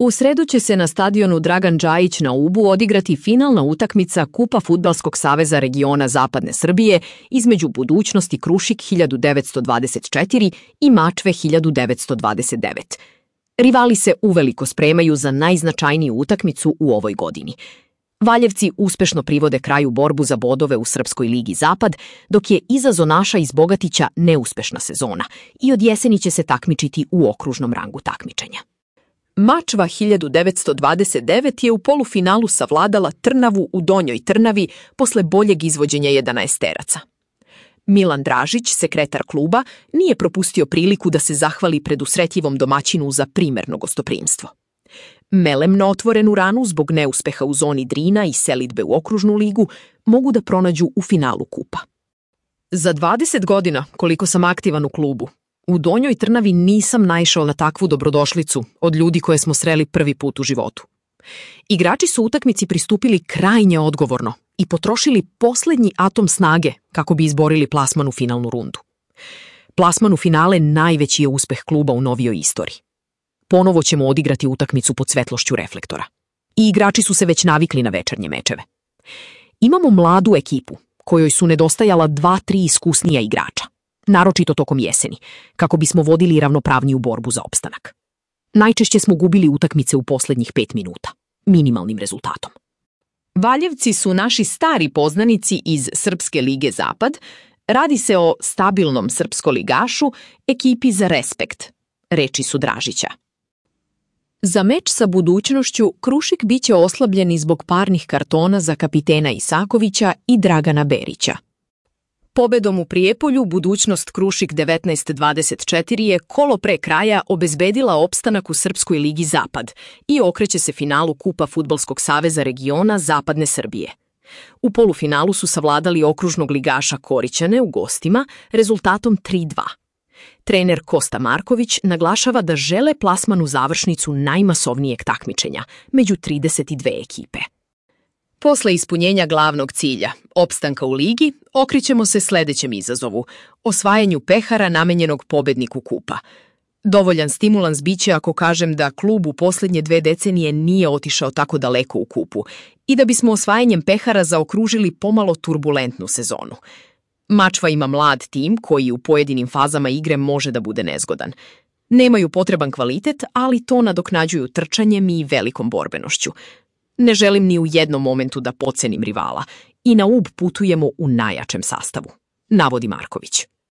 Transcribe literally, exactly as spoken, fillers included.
U sredu će se na stadionu Dragan Džajić na Ubu odigrati finalna utakmica Kupa Fudbalskog saveza regiona Zapadne Srbije između Budućnosti Krušik hiljadu devetsto dvadeset četiri i Mačve hiljadu devetsto dvadeset devet. Rivali se uveliko spremaju za najznačajniju utakmicu u ovoj godini. Valjevci uspešno privode kraju borbu za bodove u Srpskoj ligi Zapad, dok je iza zonaša iz Bogatića neuspešna sezona i od jeseni će se takmičiti u okružnom rangu takmičenja. Mačva hiljadu devetsto dvadeset devet je u polufinalu savladala Trnavu u Donjoj Trnavi posle boljeg izvođenja jedanaesteraca. Milan Dražić, sekretar kluba, nije propustio priliku da se zahvali predusretljivom domaćinu za primerno gostoprimstvo. Melem na otvorenu ranu zbog neuspeha u zoni Drina i selidbe u okružnu ligu mogu da pronađu u finalu kupa. Za dvadeset godina, koliko sam aktivan u klubu, u Donjoj Trnavi nisam naišao na takvu dobrodošlicu od ljudi koje smo sreli prvi put u životu. Igrači su utakmici pristupili krajnje odgovorno i potrošili poslednji atom snage kako bi izborili plasman u finalnu rundu. Plasman u finale najveći je uspeh kluba u novijoj istoriji. Ponovo ćemo odigrati utakmicu pod svetlošću reflektora. I igrači su se već navikli na večernje mečeve. Imamo mladu ekipu, kojoj su nedostajala dva, tri iskusnija igrača, naročito tokom jeseni, kako bismo vodili ravnopravniju borbu za opstanak. Najčešće smo gubili utakmice u poslednjih pet minuta, minimalnim rezultatom. Valjevci su naši stari poznanici iz Srpske lige Zapad. Radi se o stabilnom srpskoligašu, ekipi za respekt, reči su Dražića. Za meč sa Budućnošću Krušik biće oslabljeni zbog parnih kartona za kapitena Isakovića i Dragana Berića. Pobedom u Prijepolju Budućnost Krušik devetnaest dvadeset četiri je kolo pre kraja obezbedila opstanak u Srpskoj ligi Zapad i okreće se finalu Kupa Fudbalskog saveza regiona Zapadne Srbije. U polufinalu su savladali okružnog ligaša Korićane u gostima rezultatom tri dva. Trener Kosta Marković naglašava da žele plasman u završnicu najmasovnijeg takmičenja među trideset dve ekipe. Posle ispunjenja glavnog cilja, opstanka u ligi, okrećemo se sledećem izazovu, osvajanju pehara namenjenog pobedniku kupa. Dovoljan stimulans biće ako kažem da klub u poslednje dve decenije nije otišao tako daleko u kupu i da bismo osvajanjem pehara zaokružili pomalo turbulentnu sezonu. Mačva ima mlad tim koji u pojedinim fazama igre može da bude nezgodan. Nemaju potreban kvalitet, ali to nadoknađuju trčanjem i velikom borbenošću. Ne želim ni u jednom momentu da podcenim rivala i na Ub putujemo u najjačem sastavu, navodi Marković.